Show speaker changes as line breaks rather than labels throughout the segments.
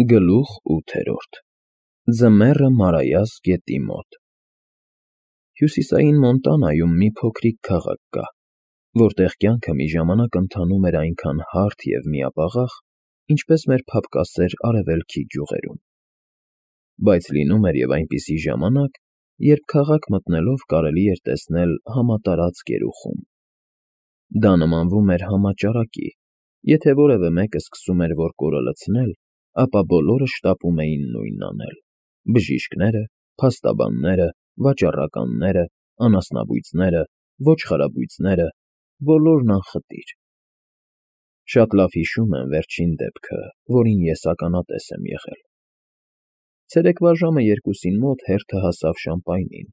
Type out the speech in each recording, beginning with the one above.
Գլուխ 8 Ձմեռը Մարայას գետի մոտ Հյուսիսային Մոնտանայում մի փոքրիկ քաղաք կա, որտեղ կյանքը մի ժամանակ ընթանում էր այնքան հարթ և միապաղաղ, ինչպես մեր փափկասեր արևելքի գյուղերում, բայց լինում էր և այնպիսի ժամանակ, երբ քաղաք մտնելով կարելի էր տեսնել համատարած գերուխում. դա նմանվում էր համաճարակի, եթե որևէ մեկը սկսում էր որ կորը լցնել, ապա բոլորը շտապում էին նույնն անել. բժիշկները, փաստաբանները, վաճառականները, անասնաբույծները, ոչխարաբույծները, բոլորն անխտիր. Շատ լավ հիշում եմ վերջին դեպքը, որին ես ականատես եմ եղել. ցերեկվա ժամը 2-ին մոտ հերթը հասավ Շամպայնին,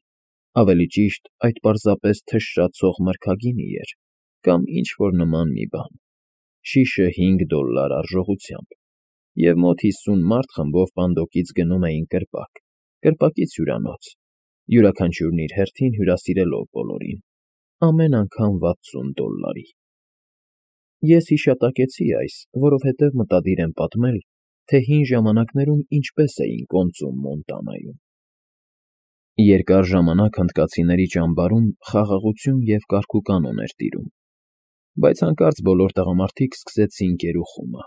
ավելի ճիշտ այդ պարզապես թշրացող մրգագինի էր, կամ ինչ-որ նման մի բան, շիշը $5 արժողությամբ, և մոտ 50 մարդ խմբով պանդոկից գնում էին կրպակից հյուրանոց, յուրաքանչյուրն իր հերթին հյուրասիրելով բոլորին, ամեն անգամ $60: Ես հիշատակեցի այս, որովհետև մտադիր եմ պատմել, թե հին ժամանակներում ինչպես էին կոնծում Մոնտանայում: Երկար ժամանակ հնդկացիների ճամբարում խաղաղություն և կարգուկանոն էր տիրում, բայց հանկարծ բոլոր տղամարդիկ սկսեցին գերուխումը: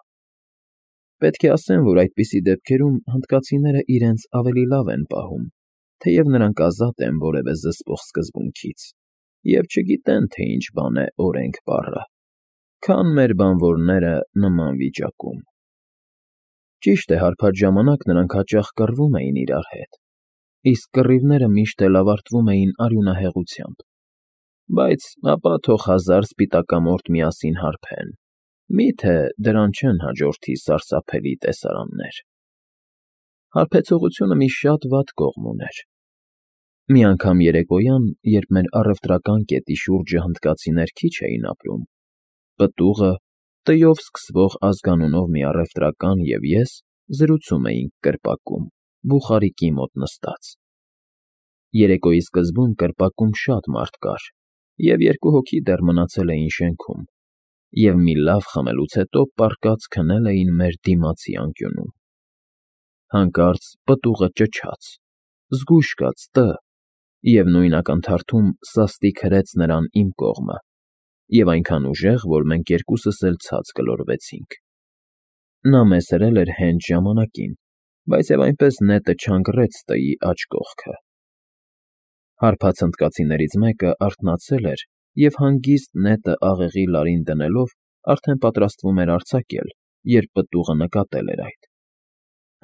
Պետք է ասեմ, որ այդպիսի դեպքերում հնդկացիները իրենց ավելի լավ են պահում, թեև նրանք ազատ են որևէ զսպող սկզբունքից և չգիտեն, թե ինչ բան է օրենք բառը, քան մեր բանվորները նման վիճակում: Ճիշտ է, հարբած ժամանակ նրանք հաճախ կռվում էին իրար հետ, իսկ կռիվները միշտ էլ ավարտվում էին արյունահեղությամբ, բայց ապա թող 1000 սպիտակամորթ միասին հարբեն, մի՞թե դրան չեն հաջորդի սարսափելի տեսարաններ: Հարբեցողությունը մի շատ վատ կողմ ուներ: Մի անգամ երեկոյան, երբ մեր առևտրական կետի շուրջը հնդկացիներ քիչ էին ապրում, պտուղը, Տ-ով սկսվող ազգանունով մի առևտրական և ես զրուցում էինք կրպակում, բուխարիկի մոտ նստած: Երեկոյի սկզբում կրպակում շատ մարդ կար, և 2 հոգի դեռ մնացել էին շենքում, և մի լավ խմելուց հետո պառկած քնել էին մեր դիմացի անկյունում: Հանկարծ պտուղը ճչաց. «Զգույշ կաց, Տ», և նույն ակնթարթում սաստիկ հրեց նրան իմ կողմը և այնքան ուժեղ, որ մենք երկուսս էլ ցած գլորվեցինք: Նա մեզ հրել էր հենց ժամանակին, բայց և այնպես նետը չանգռեց Տ-ի աջ կողքը: Հարբած հնդկացիներից մեկը արթնացել էր և հանգիստ նետը աղեղի լարին դնելով արդեն պատրաստվում էր արձակել, երբ պտուղը նկատել էր այդ: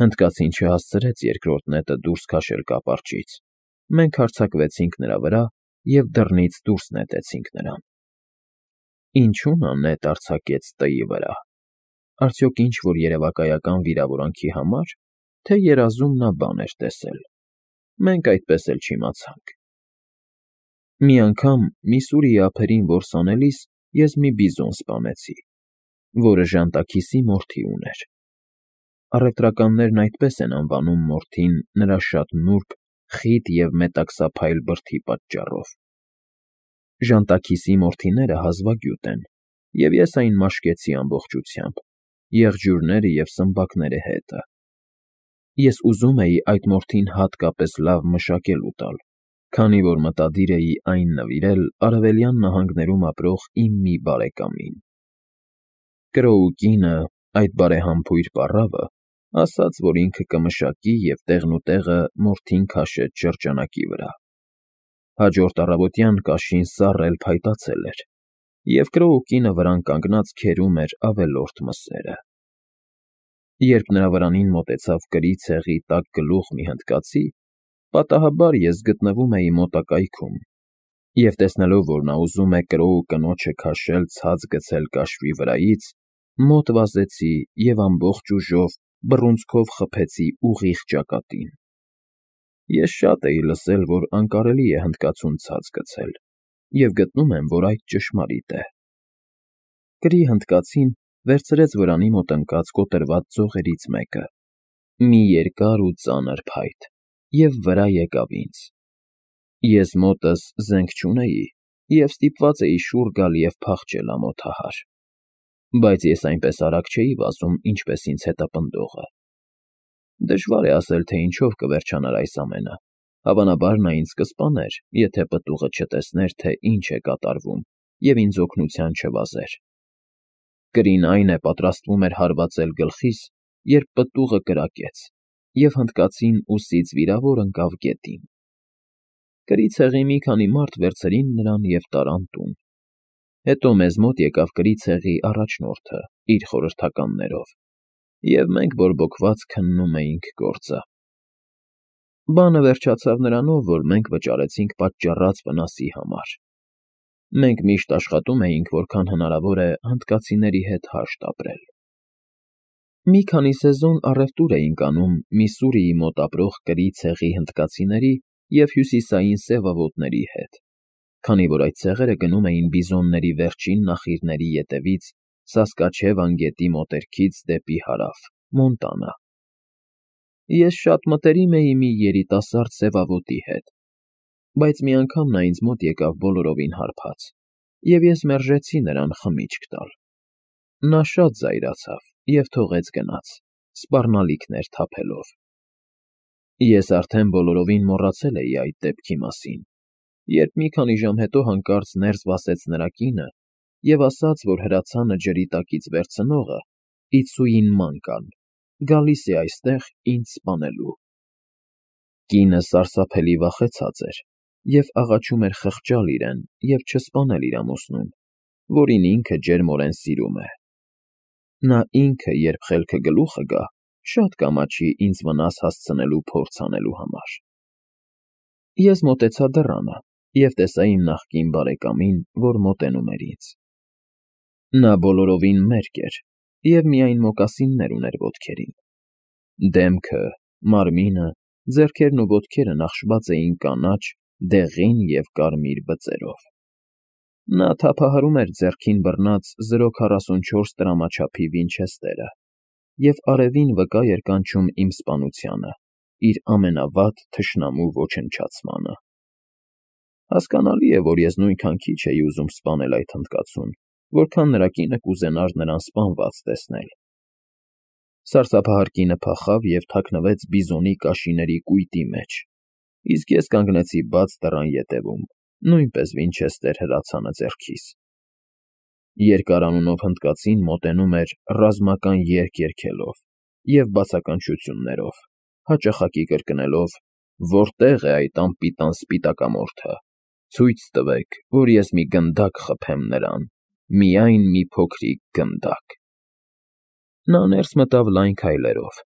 Հնդկացին չհասցրեց երկրորդ նետը դուրս քաշել կապարճից, մենք հարձակվեցինք նրա վրա և դռնից դուրս նետեցինք նրան: Ինչո՞ւ նա նետ արձակեց Տ-ի վրա: Արդյոք ինչ-որ երևակայական վիրավորանքի համար, թե երազում նա բան էր տեսել: Մենք այդպես էլ չիմացանք: Մի անգամ Միսսուրիի ափերին որս անելիս ես մի բիզոն սպանեցի, որը ժանտաքիսի մորթի ուներ: Առևտրականներն այդպես են անվանում մորթին նրա շատ նուրբ, խիտ և մետաքսափայլ բրդի պատճառով: Ժանտաքիսի մորթիները հազվագյուտ են, և ես այն մաշկեցի ամբողջությամբ, եղջյուրները և սմբակները հետը: Ես ուզում էի այդ մորթին հատկապես լավ մշակել ու տալ, քանի որ մտադիր էի այն նվիրել Արևելյան նահանգներում ապրող իմ մի բարեկամին: Կրոու կինը, այդ բարեհամբույր պառավը, ասաց, որ ինքը կմշակի և տեղնուտեղը մորթին քաշեց շրջանակի վրա: Հաջորդ առավոտյան կաշին սառը էլ փայտացել էր, և Կրոու կինը վրան կանգնած քերում էր ավելորդ մսերը: Երբ նրա վրանին մոտեցավ կրի ցեղի տաք գլուխ մի հնդկացի, պատահաբար ես գտնվում էի մոտակայքում, և տեսնելով, որ նա ուզում է Կրոու կնոջը քաշել ցած գցել կաշվի վրայից, մոտ վազեցի և ամբողջ ուժով բռունցքով խփեցի ուղիղ ճակատին: Ես շատ էի լսել, որ անկարելի է հնդկացուն ցած գցել և գտնում եմ, որ այդ ճշմարիտ է: Կրի հնդկացին վերցրեց վրանի մոտ ընկած կոտրված ձողերից մեկը, մի երկար ու ծանր փայտ, և վրա եկավ ինձ: Ես մոտս զենք չունեի և ստիպված էի շուռ գալ և փախչել ամոթահար: Բայց ես այնպես արագ չէի վազում, ինչպես ինձ հետապնդողը: Դժվար է ասել, թե ինչով կվերջանար այս ամենը, հավանաբար նա ինձ կսպաներ, եթե պտուղը չտեսներ, թե ինչ է կատարվում, և ինձ օգնության չվազեր։ Կրին այն է պատրաստվում էր հարվածել գլխիս, երբ պտուղը կրակեց, և հնդկացին ուսից վիրավոր ընկավ գետին։ Կրի ցեղի մի քանի մարդ վերցրին նրան և տարան տուն։ Հետո մեզ մոտ եկավ կրի ցեղի առաջնորդը իր խորհրդականներով, և մենք բորբոքված քննում էինք գործը։ Բանը վերջացավ նրանով, որ մենք վճարեցինք պատճառած վնասի համար։ Մենք միշտ աշխատում էինք, որքան հնարավոր է հնդկացիների հետ հաշտ ապրել։ Մի քանի սեզոն առևտուր էինք անում Միսսուրիի մոտ ապրող կրի ցեղի հնդկացիների և հյուսիսային սևավոտների հետ, քանի որ այդ ցեղերը գնում էին բիզոնների վերջին նախիրների ետևից Սասկաչևան գետի մոտերքից դեպի հարավ, Մոնտանա։ Ես շատ մտերիմ էի մի երիտասարդ սևավոտի հետ, բայց մի անգամ նա ինձ մոտ եկավ բոլորովին հարբած, և ես մերժեցի նրան խմիչք տալ։ Նա շատ զայրացավ և թողեց գնաց, սպառնալիքներ թափելով։ Ես արդեն բոլորովին մոռացել էի այդ դեպքի մասին, երբ մի քանի ժամ հետո հանկարծ ներս վասեց նրա կինը և ասաց, որ հրացանը ջրի տակից վերցնողը՝ Իցուին Մանկան, գալիս է այստեղ ինձ սպանելու։ Կինը սարսափելի վախեցած էր և աղաչում էր խղճալ իրեն և չսպանել իր ամուսնուն, որին ինքը ջերմորեն սիրում է։ Նա ինքը, երբ խելքը գլուխը գա, շատ կամաչի ինձ վնաս հասցնելու փորձ անելու համար։ Ես մոտեցա դռանը և տեսա իմ նախկին բարեկամին, որ մոտենում էր ինձ։ Նա բոլորովին մերկ էր և միայն մոկասիններ ուներ ոտքերին։ Դեմքը, մարմինը, ձեռքերն ու ոտքերը նախշված էին կանաչ, դեղին և կարմիր բծերով։ Նա թափահարում էր ձեռքին բռնած 044 տրամաչափի վինչեսթերը և արևին վկա էր կանչում իմ սպանությանը, իր ամենավատ թշնամու ոչնչացմանը։ Հասկանալի է, որ ես նույնքան քիչ էի ուզում սպանել այդ հնդկացուն, որքան նրա կինը կուզենար նրան սպանված տեսնել։ Սարսափահար կինը փախավ և թաքնվեց բիզոնի կաշիների կույտի մեջ, իսկ ես կանգնեցի բաց դռան ետևում, նույնպես վինչեսթեր հրացանը ձեռքիս։ Երկար անունով հնդկացին մոտենում էր ռազմական երգ երգելով և բացականչություններով, հաճախակի կրկնելով. «Որտե՞ղ է այդ անպիտան սպիտակամորթը, ցույց տվեք, որ ես մի գնդակ խփեմ նրան, միայն մի փոքրիկ գնդակ»։ Նա ներս մտավ լայն քայլերով,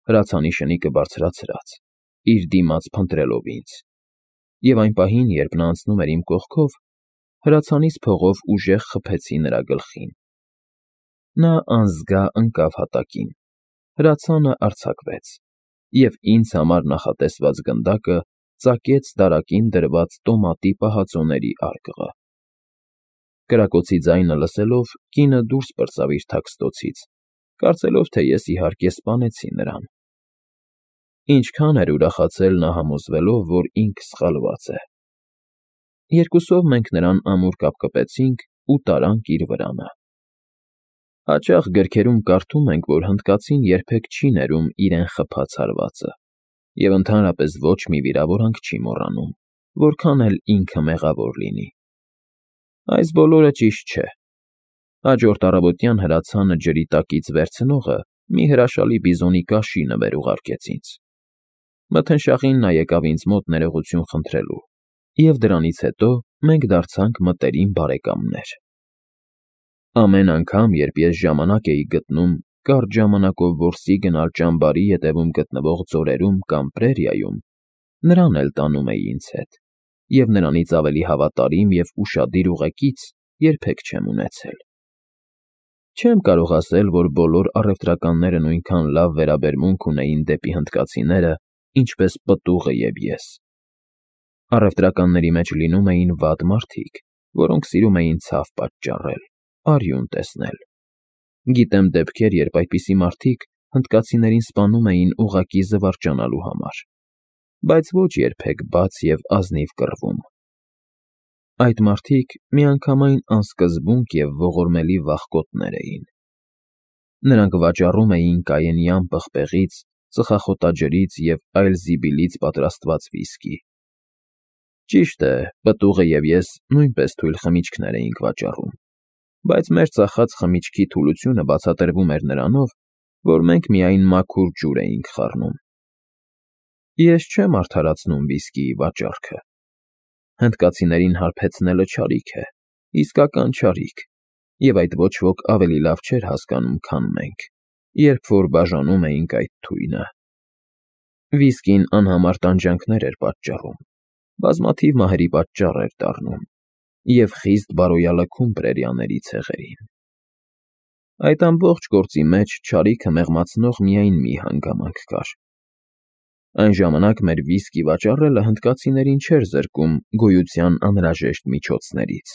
հրացանի շնիկը բարձրացրած, իր դիմաց փնտրելով ինձ, և այն պահին, երբ նա անցնում էր իմ կողքով, հրացանից փողով ուժեղ խփեցի նրա գլխին։ Նա անզգա ընկավ հատակին, հրացանը արձակվեց, և ինձ համար նախատեսված գնդակը ծակեց դարակին դրված տոմատի պահածոների արկղը։ Կրակոցի ձայնը լսելով, կինը դուրս պրծավ իր թաքստոցից, կարծելով, թե ես, իհարկե, սպանեցի նրան։ Ինչքան էր ուրախացել նա համոզվելով, որ ինքը սխալված է։ Երկուսով մենք նրան ամուր կապկպեցինք ու տարանք իր վրանը։ Հաճախ գրքերում կարդում ենք, որ հնդկացին երբեք չի ներում իրեն խփած հարվածը, և ընդհանրապես ոչ մի վիրավորանք չի մոռանում, որքան էլ ինքը մեղավոր լինի։ Այս բոլորը ճիշտ չէ։ Հաջորդ առավոտյան հրացանը ջրի տակից վերցնողը մի հրաշալի բիզոնի կաշի նվեր ուղարկեց ինձ։ Մթնշաղին նա եկավ ինձ մոտ ներողություն խնդրելու, և դրանից հետո մենք դարձանք մտերիմ բարեկամներ։ Ամեն անգամ, երբ ես ժամանակ էի գտնում կարճ ժամանակով որսի գնալ ճամբարի ետևում գտնվող ձորերում կամ պրերիայում, նրան էլ տանում էի ինձ հետ, և նրանից ավելի հավատարիմ և ուշադիր ուղեկից երբեք չեմ ունեցել։ Չեմ կարող ասել, որ բոլոր առևտրականները նույնքան լավ վերաբերմունք ունեին դեպի հնդկացիները, ինչպես պտուղը և ես։ Առևտրականների մեջ լինում էին վատ մարդիկ, որոնք սիրում էին ցավ պատճառել, արյուն տեսնել։ Գիտեմ դեպքեր, երբ այդպիսի մարդիկ հնդկացիներին սպանում էին ուղղակի զվարճանալու համար, բայց ոչ երբեք բաց և ազնիվ կռվում։ Այդ մարդիկ միանգամայն անսկզբունք և ողորմելի վախկոտներ էին։ Նրանք վաճառում էին կայենյան պղպեղից ծխախոտաջրից և այլ զիբիլից պատրաստված վիսկի։ Ճիշտ է, պտուղը և ես նույնպես թույլ խմիչքներ էինք վաճառում, բայց մեր ծախած խմիչքի թուլությունը բացատրվում էր նրանով, որ մենք միայն մաքուր ջուր էինք խառնում։ Ես չեմ արդարացնում վիսկիի վաճառքը։ Հնդկացիներին հարբեցնելը չարիք է, իսկական չարիք, և այդ ոչ ոք ավելի լավ չէր հասկանում, քան մենք, երբ որ բաժանում էինք այդ թույնը։ Վիսկին անհամար տանջանքներ էր պատճառում, բազմաթիվ մահերի պատճառ էր դառնում և խիստ բարոյալքում պրերիաների ցեղերին։ Այդ ամբողջ գործի մեջ չարիքը մեղմացնող միայն մի հանգամանք կար։ Այն ժամանակ մեր վիսկի վաճառելը հնդկացիներին չէր զրկում գոյության անհրաժեշտ միջոցներից։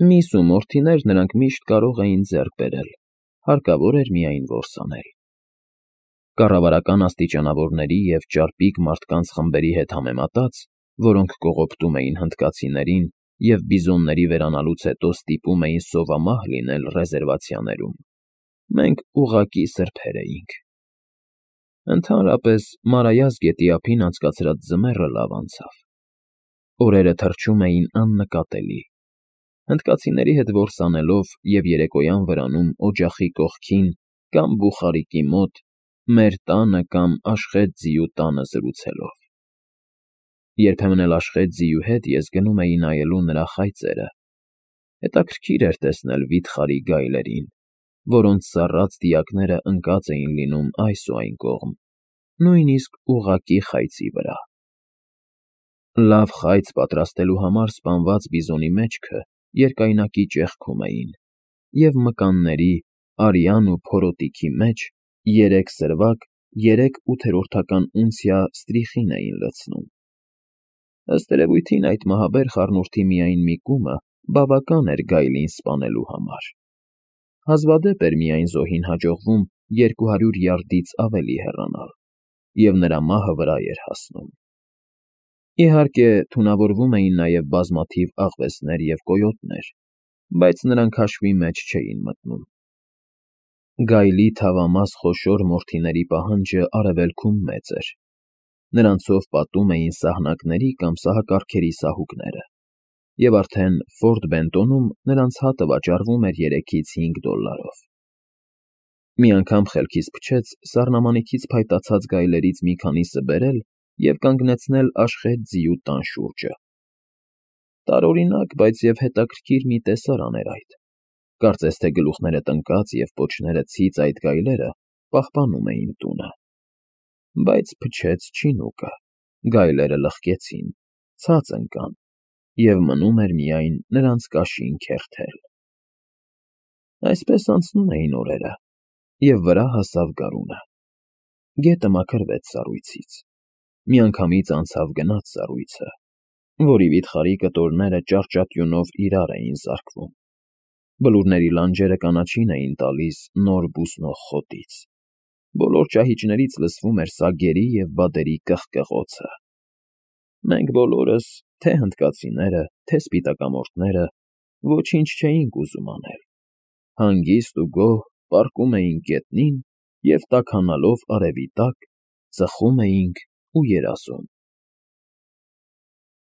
Միս ու մորթիներ նրանք միշտ կարող էին ձեռք բերել, հարկավոր էր միայն որսանել։ Կառավարական աստիճանավորների և ճարպիկ մարդկանց խմբերի հետ համեմատած, որոնք կողոպտում էին հնդկացիներին և բիզոնների վերանալուց հետո ստիպում էին սովամահ լինել ռեզերվացիաներում, մենք ուղղակի սրբեր էինք։ Ընդհանրապես, Մարայას գետի ափին անցկացրած ձմեռը լավ անցավ։ Օրերը թռչում էին աննկատելի։ Հնդկացիների հետ որսանելով և երեկոյան վրանում օջախի կողքին կամ բուխարիկի մոտ, մեր տանը կամ Աշխետ ձիու տանը զրուցելով։ Երբեմն էլ Աշխետ ձիու հետ ես գնում էի նայելու նրա խայծերը։ Հետաքրքիր էր տեսնել վիթխարի գայլերին, որոնց սառած դիակները ընկած էին լինում այս ու այն կողմ, նույնիսկ ուղղակի խայծի վրա։ Լավ խայծ պատրաստելու համար սպանված բիզոնի մեջքը երկայնակի ճեղքում էին, և մկանների, արյան ու փորոտիքի մեջ 3 սրվակ 3 ութերորդական ունցիա ստրիխին էին լցնում։ Ըստ երևույթին այդ մահաբեր խառնուրդի միայն մի կումը բավական էր գայլին սպանելու համար։ Հազվադեպ էր միայն զոհին հաջողվում 200 յարդից ավելի հեռանալ, և նրա մահը վրա էր հասնում։ Իհարկե, թունավորվում էին նաև բազմաթիվ աղվեսներ և կոյոտներ, բայց նրանք հաշվի մեջ չէին մտնում։ Գայլի թավամաս խոշոր մորթիների պահանջը արևելքում մեծ էր։ Նրանցով պատում էին սահնակների կամ սահակարգերի սահուկները, և արդեն Ֆորտ Բենտոնում նրանց հատը վաճառվում էր $3-5։ Մի անգամ խելքիս փչեց սառնամանիքից փայտացած գայլերից մի քանիսը բերել և կանգնեցնել Աշխետ ձիու տան շուրջը։ Տարօրինակ, բայց և հետաքրքիր մի տեսարան էր այդ։ Կարծես թե գլուխները տնկած և պոչները ցից այդ գայլերը պահպանում էին տունը։ Բայց փչեց չինուկը, գայլերը լղկեցին, ցած ընկան, և մնում էր միայն նրանց կաշին քերթել։ Այսպես անցնում էին օրերը, և վրա հասավ գարունը։ Գետը մաքրվեց սառույցից։ Միանգամից անցավ սառույցը, որի վիթխարի կտորները ճարճատյունով իրար էին զարկվում։ Բլուրների լանջերը կանաչին էին տալիս նոր բուսնող խոտից։ Բոլոր ճահիճներից լսվում էր սագերի և բադերի կղկղոցը։ Մենք բոլորս, թե հնդկացիները, թե սպիտակամորթները, ոչինչ չէինք ուզում անել։ Հանգիստ ու գոհ պառկում էինք գետնին և, տաքանալով արևի տակ, ծխում էինք ու երազում։